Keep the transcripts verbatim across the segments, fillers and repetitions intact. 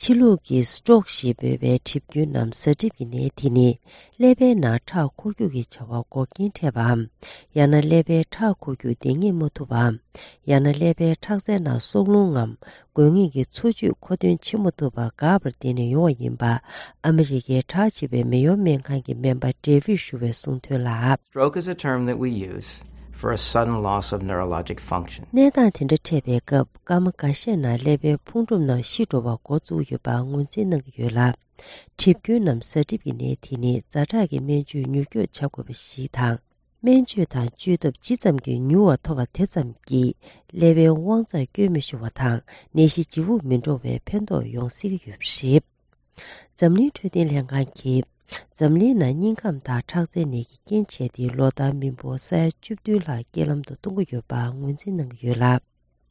ཕྱི་ལུགས་ཀྱི་སི་ཊོག་ཞེས་འབོད་པའི་གྲིབ་རྒྱུན་ནམ་གཟའ་གྲིབ་ཀྱི་ནད་དེ་ནི། ཀླད་པའི་ནང་ཁྲག་འཁོར་རྒྱུག་གི་བྱ་བ་འགོག་རྐྱེན་འཕྲད་པའམ། ཡང་ན་ཀླད་པའི་ཁྲག་འཁོར་རྒྱུག་འདེད་གཉེར་མ་ཐུབ་པའམ། ཡང་ན་ཀླད་པའི་ཁྲག་རྩའི་ནང་སྲོག་རླུང་ངམ། དགོས་ངེས་ཀྱི་འཚོ་བཅུད་མཁོ་འདོན་བྱེད་མ་ཐུབ་པ་འགག་པར་བརྟེན་ནས་ཡོང་བ་ཡིན་པ། ཨ་མི་རི་ཀའི་གྲགས་ཆེ་བའི་མེ་ཡོ་སྨན་ཁང་གི་སྨན་པ་ཌེ་བིཌ་ཞུ་བས་གསུངས་དོན་ལ། Stroke is a term that we use for a sudden loss of neurologic function. གནས་སྟངས་དེ་འདྲ་འཕྲད་པའི་སྐབས། སྐར་མ་འགའ་ཤས་ནང་ཀླད་པའི་ཕུང་གྲུབ་རྣམས་ཤི་འགྲོ་བ་འགོ་བཙུགས་ཡོད་པ་ངོས་འཛིན་གནང་གི་ཡོད་ལ། གྲིབ་རྒྱུན་ནམ་གཟའ་གྲིབ་ཀྱི་ནད་དེ་ནི་ཛ་དྲག་གི་སྨན་བཅོས་མྱུར་སྐྱོབ་བྱ་དགོས་པ་ཞིག་དང་། སྨན་བཅོས་དང་བཅོས་ཐབས་ཇི་ཙམ་གྱིས་མྱུར་བ་ཐོབ་པ་དེ་ཙམ་གྱིས་ཀླད་པའི་དབང་རྩ་སྐྱོན་མི་ཤོར་བ་དང་། ནད་གཞི་ལྗིད་པོ་མི་འགྲོ་བའི་ཕན་ཐོགས་ཡོང་སྲིད་ཀྱི་ཡོད་པ་རེད། འཛམ་གླིང་འཕྲོད་བསྟེན་ལྷན་ཁང་གིས་འཛམ་གླིང་ནང་སྙིང་ཁམས་དང་ཁྲག་རྩའི་ནད་ཀྱི་རྐྱེན་བྱས་ཏེ། ལོ་ལྟར་མི་འབོར་ས་ཡ་བཅུ་བདུན་ལྷག་རྐྱེན་ལམ་དུ་གཏོང་གི་ཡོད་པ་ངོས་འཛིན་གནང་གི་ཡོད་ལ།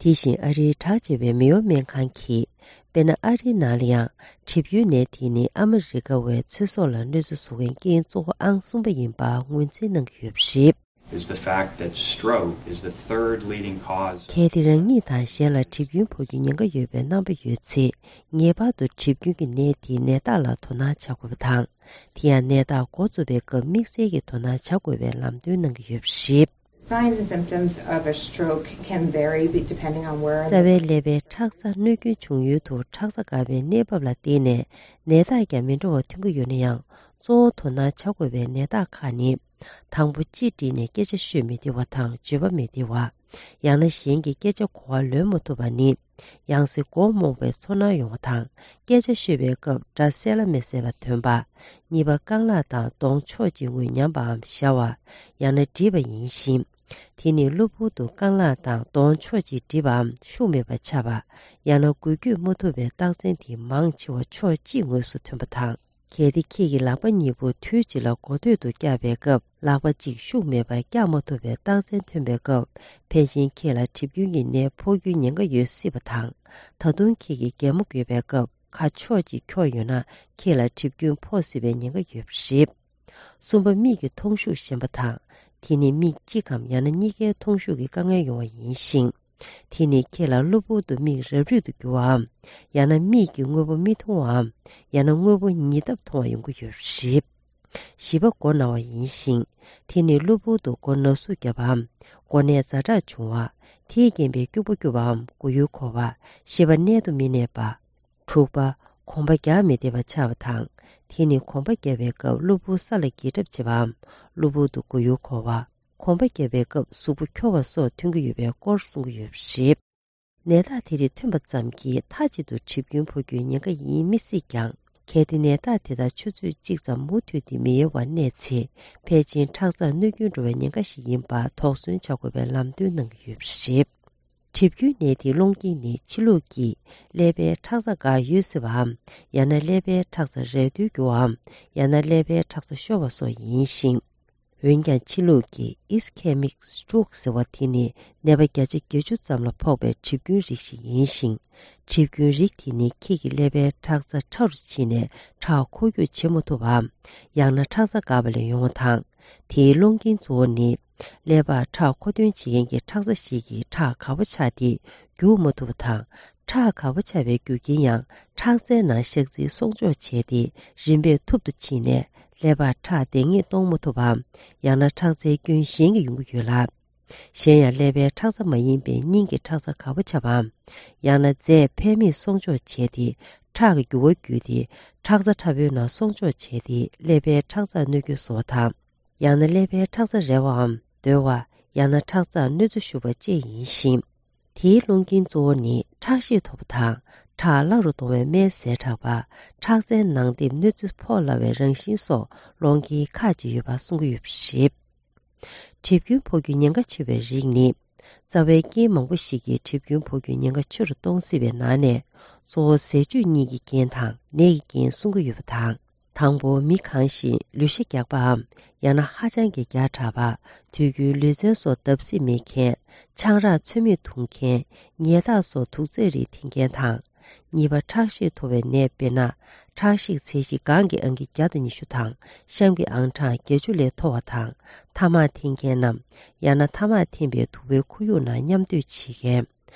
དེ་བཞིན་ཨ་རིའི་གྲགས་ཆེ་བའི་མེ་ཡོ་སྨན་ཁང་གིས། དཔེར་ན། ཨ་རིའི་ནང་ལ་ཡང་གྲིབ་རྒྱུན་ནད་དེ་ནི་ཨ་མི་རི་ཀ་བའི་ཚེ་སྲོག་ལ་གནོད་འཚེ་བཟོ་མཁན་རྐྱེན་གཙོ་བོ་ཨང་གསུམ་པ་ཡིན་པ་ངོས་འཛིན་གནང་གི་ཡོད་པ་རེད། Is the fact that stroke is the third leading cause. གལ་ཏེ་རང་ཉིད་དང་གཞན་ལ་གྲིབ་རྒྱུན་ཕོག་རྒྱུའི་ཉེན་ཁ་ཡོད་པའི་རྣམ་པ་ཡོད་ཚེ། ངེས་པར་དུ་གྲིབ་རྒྱུན་གྱི་ནད་དེའི་ནད་རྟགས་ལ་དོ་སྣང་བྱ་དགོས་པ་དང་། དེ་ཡང་ནད་རྟགས་འགོ་བཙུགས་པའི་སྐབས་དམིགས་བསལ་གྱིས་དོ་སྣང་བྱ་དགོས་པའི་ལམ་སྟོན་གནང་གི་ཡོད་པ་རེད། Signs and symptoms of a stroke can vary be- depending on where རྩ་བའི་ཀླད་པའི་ཁྲག་རྩ་གནོད་སྐྱོན་བྱུང་ཡུལ་དུ་ཁྲག་རྩ་འགག་པའི་གནས་བབ་ལ་བརྟེན་ནས་ནད་རྟགས་ཀྱང་མི་འདྲ་བ་ཐོན་གྱི་ཡོད་ན་ཡང་། གཙོ་བོ་དོ་སྣང་བྱ་དགོས་པའི་ནད་རྟགས་ཁག་ནི། དང་པོ། ཅི་དྲིས་ནས་སྐད་ཆ་ཤོད་མི་བདེ་བ་དང་བརྗོད་པ་མི་བདེ་བ། ཡང་ན་གཞན་གྱི་སྐད་ཆ་གོ་བ་ལོན་མ་ཐུབ་པ་ནི། ཡང་སེ་མགོ་རྨོངས་པའི་ཚོར་སྣང་ཡོང་བ་དང་། སྐད་ཆ་ཤོད་པའི་སྐབས་སྒྲ་གསལ་ལ་མི་གསལ་བ་ཐོན་པ། གཉིས་པ། རྐང་ལག་དང་གདོང་ཕྱོགས་གཅིག་ངོས་ཉམས་པའམ་ཞར་བ། ཡང་ན་འདྲིས་པ་ཡིན་ཞིང་། དེ་ནི་གློ་བུར་དུ་རྐང་ལག་དང་གདོང་ཕྱོགས་གཅིག་འདྲིས་པའམ་ཤུགས་མེད་པ་ཆགས་པ། ཡང་ན་འགུལ་སྐྱོད་མ་ཐུབ་པའི་རྟགས་མཚན་དེ་མང་ཆེ་བ་ཕྱོགས་གཅིག་ངོས་སུ་ཐོན་པ་དང་། གལ་ཏེ་ཁྱེད་ཀྱི་ལག་པ་གཉིས་པོ་དུས་གཅིག་ལ་མགོ་ཐོད་དུ་བཀྱག་པའི་སྐབས། ལག་པ་གཅིག་ཤུགས་མེད་པར་བཀྱག་མ་ཐུབ་པའི་རྟགས་མཚན་ཐོན་པའི་སྐབས། ཕལ་ཆེར་ཁྱེད་ལ་གྲིབ་རྒྱུན་གྱི་ནད་ཕོག་རྒྱུའི་ཉེན་ཁ་ཡོད་སྲིད་པ་དང་། ད་དུང་ཁྱེད་ཀྱིས་གད་མོ་དགོད་པའི་སྐབས། ཁ་ཕྱོགས་གཅིག་འཁྱོག་ཡོད་ན། ཁྱེད་ལ་གྲིབ་རྒྱུན་ཕོག་སྲིད་པའི་ཉེན་ཁ་ཡོད་པ་རེད། གསུམ་པ། མིག་གི་མཐོང་ཤུགས་ཞན་པ་དང་། དེ་ནི་མིག་གཅིག་གམ་ཡང་ན་གཉིས་ཀའི་མཐོང་ཤུགས་ཀྱི་དཀའ་ངལ་ཡོང་བ་ཡིན་ཞིང་། དེ་ནི་ཁྱེད་ལ་གློ་བུར་དུ་མིག་རབ་རིབ་ཏུ་འགྱུར་བའམ། ཡང་ན་མིག་གི་དངོས་པོ་མི་མཐོང་བའམ། ཡང་ན་དངོས་པོ་ཉིས་ལྡབ་མཐོང་བ་ཡོང་གི་ཡོད་པ་རེད། བཞི་པ། མགོ་ན་བ་ཡིན་ཞིང་། དེ་ནི་གློ་བུར་དུ་མགོ་ན་ཟུག་བརྒྱབ་པའམ། མགོ་ནད་ཛ་དྲག་བྱུང་བ། དེས་རྐྱེན་པས་སྐྱུག་པ་སྐྱུག་པའམ་མགོ་ཡུ་འཁོར་བ། ཤེས་པ་གནད་དུ་མི་གནས་པ། དྲུག་པ། གོམ་པ་རྒྱག་མི་བདེ་བ་ཆགས་པ་དང་། དེ་ནི་གོམ་པ་རྒྱག་པའི་སྐབས་གློ་བུར་ས་ལ་འགྱེལ་གྲབས་བྱེད་པའམ། གློ་བུར་དུ་མགོ་ཡུ་འཁོར་བ། གོམ་པ་རྒྱག་པའི་སྐབས་གཟུགས་པོ་འཁྱོར་བ་སོགས་ཐོན་གྱི་ཡོད་པའི་སྐོར་གསུང་གི་ཡོད་པ་རེད། ནད་རྟགས་དེ་རིགས་ཐོན་པ་ཙམ་གྱིས་མཐའ་གཅིག་ཏུ་གྲིབ་རྒྱུན་ཕོག་རྒྱུའི་ཉེན་ཁ་ཡིན་མི་སྲིད་ཀྱང་། གལ་ཏེ་ནད་རྟགས་དེ་དག་ཆུ་ཚོད་གཅིག་ཙམ་མུ་མཐུད་དེ་མི་ཡལ་བར་གནས་ཚེ། ཕལ་ཆེར་ཁྲག་རྩར་གནོད་སྐྱོན་འགྲོ་བའི་ཉེན་ཁ་ཞིག་ཡིན་པ་དོགས་ཟོན་བྱ་དགོས་པའི་ལམ་སྟོན་གནང་གི་ཡོད་པ་རེད། གྲིབ་རྒྱུན་ནད་དེའི་སློང་རྐྱེན་ནི་ཕྱི་ལུགས་ཀྱིས་ཀླད་པའི་ཁྲག་རྩ་འགག་ཡོད་སྲིད་པའམ། ཡང་ན་ཀླད་པའི་ཁྲག་རྩ་རལ་དུ་གྱུར་བའམ། ཡང་ན་ཀླད་པའི་ཁྲག་རྩ་ཤོར་བ་སོགས་ཡིན་ཞིང་། འོན་ཀྱང་ཕྱི་ལུགས་ཀྱི་Ischemic stroke ཟེར་བ་དེ་ནི་ནད་པ་བརྒྱ་ཆ་བརྒྱད་ཅུ་ཙམ་ལ་ཕོག་པའི་གྲིབ་རྒྱུན་རིགས་ཤིག་ཡིན་ཞིང་། གྲིབ་རྒྱུན་རིགས་དེ་ནི་ཁྱེད་ཀྱི་ཀླད་པའི་ཁྲག་རྩ་ཕྲ་རུ་ཕྱིན་ནས་ཁྲག་འཁོར་རྒྱུག་བྱེད་མ་ཐུབ་པའམ། ཡང་ན་ཁྲག་རྩ་འགག་པ་ལས་ཡོང་བ་དང་། དེའི་སློང་རྐྱེན་གཙོ་བོ་ནི། ཀླད་པར་ཁྲག་མཁོ་འདོན་བྱེད་མཁན་གྱི་ཁྲག་རྩ་ཞིག་གིས་ཁྲག་དཀར་པོ་ཆགས་ཏེ་རྒྱུག་མ་ཐུབ་པ་དང་། ཁྲག་དཀར་པོ་ཆགས་པའི་རྒྱུ་རྐྱེན་ཡང་ཁྲག་རྩའི་ནང་ཤག་རྫིས་སྲོག་འཆོར་བྱས་ཏེ་རིམ་པས་ཐུབ་ཏུ་ཕྱིན་ནས་ཀླད་པར་ཁྲག་འདེད་གཉེར་གཏོང་མ་ཐུབ་པའམ། ཡང་ན་ཁྲག་རྩའི་སྐྱོན་གཞན་གྱིས་ཡོང་གི་ཡོད་ལ། གཞན་ཡང་ཀླད་པའི་ཁྲག་རྩ་མ་ཡིན་པའི་སྙིང་གི་ཁྲག་རྩ་དཀར་པོ་ཆགས་པའམ། ཡང་ན་རྫས་ཕན་མེད་སྲོག་འཆོར་བྱས་ཏེ་ཁྲག་གི་རྒྱུ་བ་བརྒྱུད་དེ་ཁྲག་རྩ་ཕྲ་བོའི་ནང་སྲོག་འཆོར་བྱས་ཏེ་ཀླད་པའི་ཁྲག་རྩར་གནོད་སྐྱོན་བཟོ་བ་དང་། ཡང་ན་ཀླད་པའི་ཁྲག་རྩ་རལ་བའམ་རྡོལ་བ། ཡང་ན་ཁྲག་རྩར་གནོད་འཚེ་ཞུགས་པ་བཅས་ཡིན་ཞིང་། དེའི་སློང་རྐྱེན་གཙོ་བོ་ནི་ཁྲག་ཤེད་མཐོ་བ་དང་། ཁྲག་སླ་རུ་གཏོང་བའི་སྨན་ཟད་དྲགས་པ། ཁྲག་རྩའི་ནང་ལྟེབ་གནོད་འཚེ་ཕོག་སླ་བའི་རང་བཞིན་སོགས་སློང་རྐྱེན་ཁག་ཅིག་ཡོད་པ་གསུང་གི་ཡོད་པ་རེད། གྲིབ་རྒྱུན་ཕོག་རྒྱུའི་ཉེན་ཁ་ཆེ་བའི་རིགས་ནི། རྩ་བའི་རྐྱེན་མང་པོ་ཞིག་གིས་གྲིབ་རྒྱུན་ཕོག་རྒྱུའི་ཉེན་ཁ་ཆེ་རུ་གཏོང་སྲིད་པའི་ནང་ནས། གཙོ་བོ་ཟས་སྤྱོད་གཉིས་ཀྱི་རྐྱེན་དང་ནད་ཀྱི་རྐྱེན་གསུང་གི་ཡོད་པ་དང་། དང་པོ། མི་གང་ཞིག་ལུས་ཤ་རྒྱགས་པའམ། ཡང་ན་ཧ་ཅང་གི་རྒྱགས་དྲགས་པ། དུས་རྒྱུན་ལུས་རྩལ་སོགས་བརྡབ་གསིག་མེད་མཁན། ཆང་རག་ཚོད་མེད་འཐུང་མཁན། ཉལ་ཐག་སོགས་དུག་རྫས་རིགས་འཐེན་མཁན་དང་། གཉིས་པ། ཁྲག་ཤེད་མཐོ་བའི་ནད། དཔེར་ན། ཁྲག་ཤེད་ཚད་གཞི་གངས་ཀྱི་ཨང་ཀི་བརྒྱ་དང་ཉི་ཤུ་དང་། གཤམ་གྱི་ཨང་གྲངས་བརྒྱད་ཅུ་ལས་མཐོ་བ་དང་། ཐ་མག་འཐེན་མཁན་ནམ། ཡང་ན་ཐ་མག་འཐེན་པའི་དུ་བའི་ཁོར་ཡུག་ནང་མཉམ་སྡོད་བྱེད་མཁན།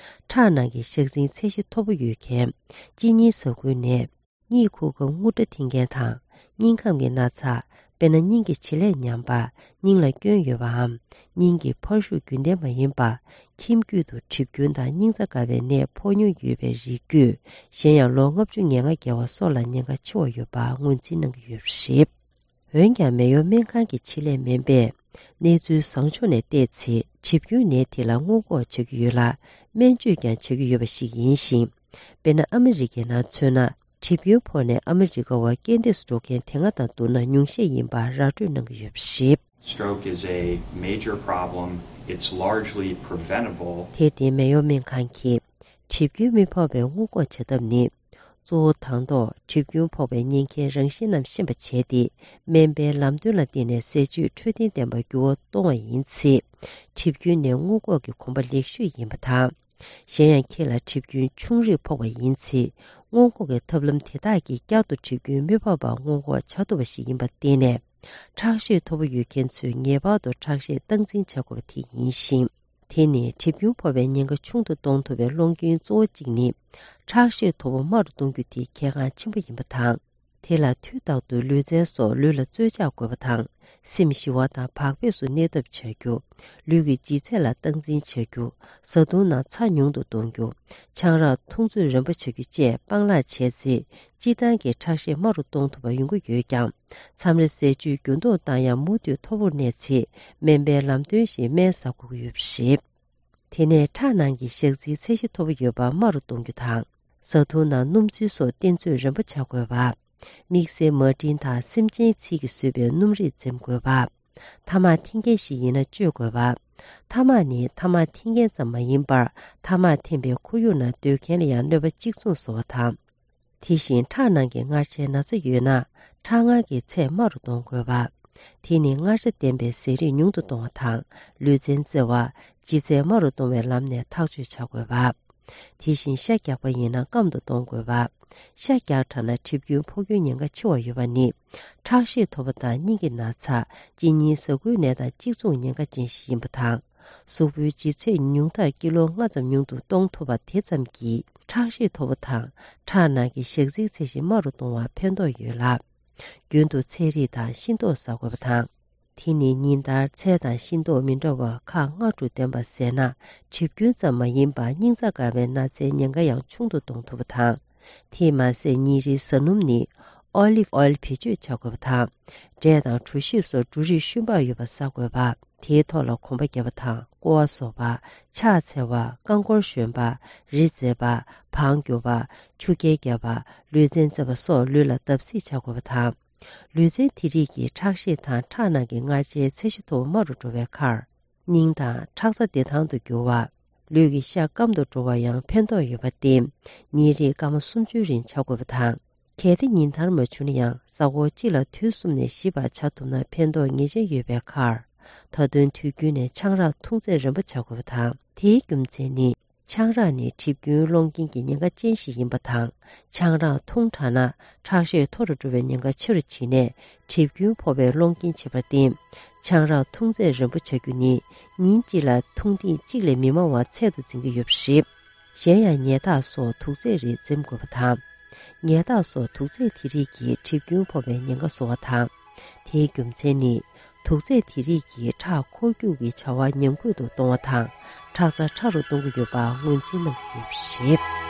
ཁྲག་ནང་གི་ཞག་འཛིན་ཚད་གཞི་མཐོ་པོ་ཡོད་མཁན་གཅིན་སྙི་ཟ་ཁུའི་ནད། གཉིད་ཁུག་སྐབས་རྔུལ་སྒྲ་འཐེན་མཁན་དང་། སྙིང་ཁམས་ཀྱི་ན་ཚ། དཔེར་ན་སྙིང་གི་བྱེད་ལས་ཉམས་པ། སྙིང་ལ་སྐྱོན་ཡོད་པའམ། སྙིང་གི་འཕར་ཤུགས་རྒྱུན་ལྡན་མ་ཡིན་པ། ཁྱིམ་རྒྱུད་དུ་གྲིབ་སྐྱོན་དང་སྙིང་རྩ་འགག་པའི་ནད་ཕོག་མྱོང་ཡོད་པའི་རིགས་རྒྱུད། གཞན་ཡང་ལོ་ལྔ་བཅུ་ང་ལྔ་བརྒལ་བ་སོགས་ལ་ཉེན་ཁ་ཆེ་བ་ཡོད་པ་ངོས་འཛིན་གནང་གི་ཡོད་པ་རེད། འོན་ཀྱང་མེ་ཡོར་སྨན་ཁང་གི་ཆེད་ལས་སྨན་པས་གནས་ཚུལ་བཟང་ཕྱོགས་ནས་བལྟས་ཚེ། གྲིབ་སྐྱོན་ནད་དེ་ལ་སྔོན་འགོག་བྱ་རྒྱུ་ཡོད་ལ། སྨན་བཅོས་ཀྱང་བྱ་རྒྱུ་ཡོད་པ་ཞིག་ཡིན་ཞིང་། དཔེར་ན་ཨ་མི་རི་ཀའི་ནང་མཚོན་ན། གྲིབ་སྐྱོན་ཕོག་ནས་ཨ་མི་རི་ཀ་བ་རྐྱེན་འདས་སུ་འགྲོ་མཁན་དེ་སྔ་དང་བསྡུར་ན་ཉུང་ཤས་ཡིན་པ་ར་སྤྲོད་གནང་གི་ཡོད་པ་རེད། Stroke is a major problem. It's largely preventable. དེར་བརྟེན་མེ་ཡོར་སྨན་ཁང་གིས་གྲིབ་སྐྱོན་མི་ཕོག་པའི་སྔོན་འགོག་བྱ་ཐབས་ནི། གཙོ་བོ་དང་ཐོག་གྲིབ་སྐྱོན་ཕོག་པའི་ཉེན་ཁའི་རང་བཞིན་རྣམས་ཤེས་པ་བྱས་ཏེ། སྨན་པའི་ལམ་སྟོན་ལ་བརྟེན་ནས་ཟས་སྤྱོད་འཕྲོད་བསྟེན་ལྡན་པར་འགྱུར་བ་གཏོང་བ་ཡིན་ཚེ། གྲིབ་སྐྱོན་ནད་སྔོན་འགོག་གི་གོམ་པ་ལེགས་ཤོས་ཡིན་པ་དང་། གཞན་ཡང་ཁྱེད་ལ་གྲིབ་སྐྱོན་ཆུང་རིགས་ཕོག་པ་ཡིན་ཚེ། སྔོན་འགོག་གི་ཐབས་ལམ་དེ་དག་གིས་བསྐྱར་དུ་གྲིབ་སྐྱོན་མི་ཕོག་པར་སྔོན་འགོག་བྱ་ཐུབ་པ་ཞིག་ཡིན་པར་བརྟེན་ནས། ཁྲག་ཤེད་མཐོ་པོ་ཡོད་མཁན་ཚོས་ངེས་པར་དུ་ཁྲག་ཤེད་སྟངས་འཛིན་བྱ་དགོས་པ་དེ་ཡིན་ཞིང་། དེ་ནི་གྲིབ་སྐྱོན་ཕོག་པའི་ཉེན་ཁ་ཆུང་དུ་གཏོང་ཐུབ་པའི་སློང་རྐྱེན་གཙོ་བོ་གཅིག་ནི། ཁྲག་ཤེད་མཐོ་པོ་དམའ་རུ་གཏོང་རྒྱུ་དེ་གལ་འགངས་ཆེན་པོ་ཡིན་པ་དང་། དེ་ལ་དུས་རྟག་ཏུ་ལུས་རྩལ་སོགས་ལུས་ལ་རྩོལ་བཅག་དགོས་པ་དང་། སེམས་ཞི་བ་དང་བག་ཕེབས་སུ་གནས་ཐབས་བྱ་རྒྱུ། ལུས་ཀྱི་ལྗིད་ཚད་ལ་སྟངས་འཛིན་བྱ་རྒྱུ། བཟའ་བཏུང་ནང་ཚྭ་ཉུང་དུ་གཏོང་རྒྱུ། ཆང་རག་འཐུང་ཚོད་རན་པོ་བྱ་རྒྱུ་བཅས་སྤང་བླང་བྱས་ཚེ། སྤྱིར་བཏང་གི་ཁྲག་ཤེད་དམའ་རུ་གཏོང་ཐུབ་པ་ཡོང་གི་ཡོད་ཀྱང་། མཚམས་རེ་ཟས་བཅུད་འགྱུར་ལྡོག་བཏང་ཡང་མུ་མཐུད་མཐོ་པོར་གནས་ཚེ། སྨན་པའི་ལམ་སྟོན་བཞིན་སྨན་ཟ་དགོས་ཀྱི་ཡོད་པ་རེད། དེ་ནས་ཁྲག་ནང་གི་ཞག་རྩིའི་ཚད་གཞི་མཐོ་པོ་ཡོད་པ་དམའ་རུ་གཏོང་རྒྱུ་དང་། བཟའ་བཏུང་ནང་སྣུམ་ཚིལ་སོགས་བསྟེན་ཚོད་རན་པོ་བྱ་དགོས་པ། དམིགས་བསལ་མ་ཏིན་དང་སྲན་ཅན་ཚིལ་གྱིས་བཟོས་པའི་སྣུམ་རིགས་འཛེམ་དགོས་པ། ཐ་མག་འཐེན་མཁན་ཞིག་ཡིན་ན་གཅོད་དགོས་པ། ཐ་མག་ནི་ཐ་མག་འཐེན་མཁན་ཙམ་མ་ཡིན་པར། ཐ་མག་འཐེན་པའི་ཁོར་ཡུག་ནང་སྡོད་མཁན་ལ་ཡང་གནོད་པ་གཅིག་མཚུངས་བཟོ་བ་དང་། དེ་བཞིན་ཁྲག་ནང་གི་མངར་ཆའི་ན་ཚ་ཡོད་ན། ཁྲག་མངར་གྱི་ཚད་དམའ་རུ་གཏོང་དགོས་པ། དེ་ནི་མངར་ཆ་ལྡན་པའི་ཟས་རིགས་ཉུང་དུ་གཏོང་བ་དང་། ལུས་རྩལ་རྩེ་བ། ལྗིད་ཚད་དམའ་རུ་གཏོང་བའི་ལམ་ནས་ཐག་གཅོད་བྱ་དགོས་པ། དེ་བཞིན་ཤ་རྒྱགས་པ་ཡིན་ན་སྐམ་དུ་གཏོང་དགོས་པ། ཤ་རྒྱགས་དྲགས་ན་གྲིབ་སྐྱོན་ཕོག་རྒྱུའི་ཉེན་ཁ་ཆེ་བ་ཡོད་པ་ནི། ཁྲག་ཤེད་མཐོ་པོ་དང་སྙིང་གི་ན་ཚ། གཅིན་སྙི་ཟ་ཁུའི་ནད་དང་གཅིག་མཚུངས་ཉེན་ཁ་ཅན་ཞིག་ཡིན་པ་དང་། གཟུགས་པོའི་ལྗིད་ཚད་ཉུང་མཐར་ཀི་ལོ་ལྔ་ཙམ་ཉུང་དུ་གཏོང་ཐུབ་པ་དེ་ཙམ་གྱིས་ཁྲག་ཤེད་མཐོ་པོ་དང་ཁྲག་ནང་གི་ཞག་རྩིའི་ཚད་གཞི་དམའ་རུ་གཏོང་བར་ཕན་ཐོགས་ཡོད་ལ། རྒྱུན་དུ་ཚལ་རིགས་དང་ཤིང་ཏོག་ཟ་དགོས་པ་དང་། དེ་ནི་ཉིན་ལྟར་ཚལ་དང་ཤིང་ཏོག་མི་འདྲ་བ་ཁག་ལྔ་དྲུག་ལྡན་པ་ཟས་ན་གྲིབ་སྐྱོན་ཙམ་མ་ཡིན་པར་སྙིང་རྩ་འགག་པའི་ན་ཚའི་ཉེན་ཁ་ཡང་ཆུང་དུ་གཏོང་ཐུབ་པ་དང་། དེས་མ་ཟད་ཉིན་རེའི་བཟའ་སྣུམ་ནི་ཨོ་ལིབ་ཨོལ་བེད་སྤྱོད་བྱ་དགོས་པ་དང་། འབྲས་དང་གྲོ་ཞིབ་སོགས་འབྲུ་རིགས་ཤུན་པགས་ཡོད་པ་ཟ་དགོས་པ། དེའི་ཐོག་ལ་གོམ་པ་བརྒྱབ་པ་དང་ཀོ་བ་བཟོ་བ། ཕྱག་འཚལ་བ། རྐང་འཁོར་ཞོན་པ། རི་འཛེག་པ། བང་རྒྱུག་པ། ཆུ་རྐྱལ་རྒྱག་པ། ལུས་རྩལ་རྩེ་བ་སོགས་ལུས་ལ་བརྡབ་གསིག་བྱ་དགོས་པ་དང་། ལུས་རྩལ་དེ་རིགས་ཀྱིས་ཁྲག་ཤེད་དང་ཁྲག་ནང་གི་མངར་ཆའི་ཚད་གཞི་མཐོ་པོ་དམའ་རུ་འགྲོ་བའི་ཁར། སྙིང་དང་ཁྲག་རྩ་བདེ་ཐང་དུ་འགྱུར་བ། ལུས་ཀྱི་ཤ་སྐམ་དུ་འགྲོ་བར་ཡང་ཕན་ཐོགས་ཡོད་པར་བརྟེན། ཉིན་རེའི་སྐར་མ་སུམ་ཅུའི་རིང་བྱ་དགོས་པ་དང་། གལ་ཏེ་ཉིན་ལྟར་མ་བྱུང་ན་ཡང་གཟའ་འཁོར་གཅིག་ལ་དུས་གསུམ་ནས་ཞིབ་པར་བྱ་ཐུབ་ན་ཕན་ཐོགས་ངེས་ཅན་ཡོད་པའི་ཁར། མཐའ་དོན་དུས་རྒྱུན་ནས་ཆང་རག་འཐུང་ཚད་རན་པོ་བྱ་དགོས་པ་དང་། དེའི་རྒྱུ་མཚན་ནི། ཆང་རག་ནི་གྲིབ་སྐྱོན་སློང་མཁན་གྱི་ཉེན་ཁ་ཅན་ཞིག་ཡིན་པ་དང་། ཆང་རག་འཐུང་དྲགས་ན་ཁྲག་ཤེད་མཐོ་རུ་འགྲོ་བའི་ཉེན་ཁ་ཆེ་རུ་ཕྱིན་ནས་གྲིབ་སྐྱོན་ཕོག་པའི་སློང་རྐྱེན་བྱེད་པར་བརྟེན། ཆང་རག་འཐུང་ཚད་རན་པོ་བྱ་རྒྱུ་ནི་ཉིན་གཅིག་ལ་འཐུང་ཐེངས་གཅིག་ལས་མི་མང་བ་ཚད་དུ་འཛིན་གྱི་ཡོད་པ་རེད། གཞན་ཡང་ཉལ་ཐག་སོགས་དུག་རྫས་རིགས་འཛེམ་དགོས་པ་དང་། ཉལ་ཐག་སོགས་དུག་རྫས་དེ་རིགས་ཀྱིས་གྲིབ་སྐྱོན་ཕོག་པའི་ཉེན་ཁ་བཟོ་བ་དང་། དེའི་རྒྱུ་མཚན་ནི། དུག་རྫས་དེ་རིགས་ཀྱིས་ཁྲག་འཁོར་རྒྱུག་གི་བྱ་བ་ཉམས་རྒུད་དུ་གཏོང་བ་དང་། ཁྲག་རྩ་ཕྲ་རུ་གཏོང་གི་ཡོད་པ་ངོས་འཛིན་གནང་གི་ཡོད་པ་རེད།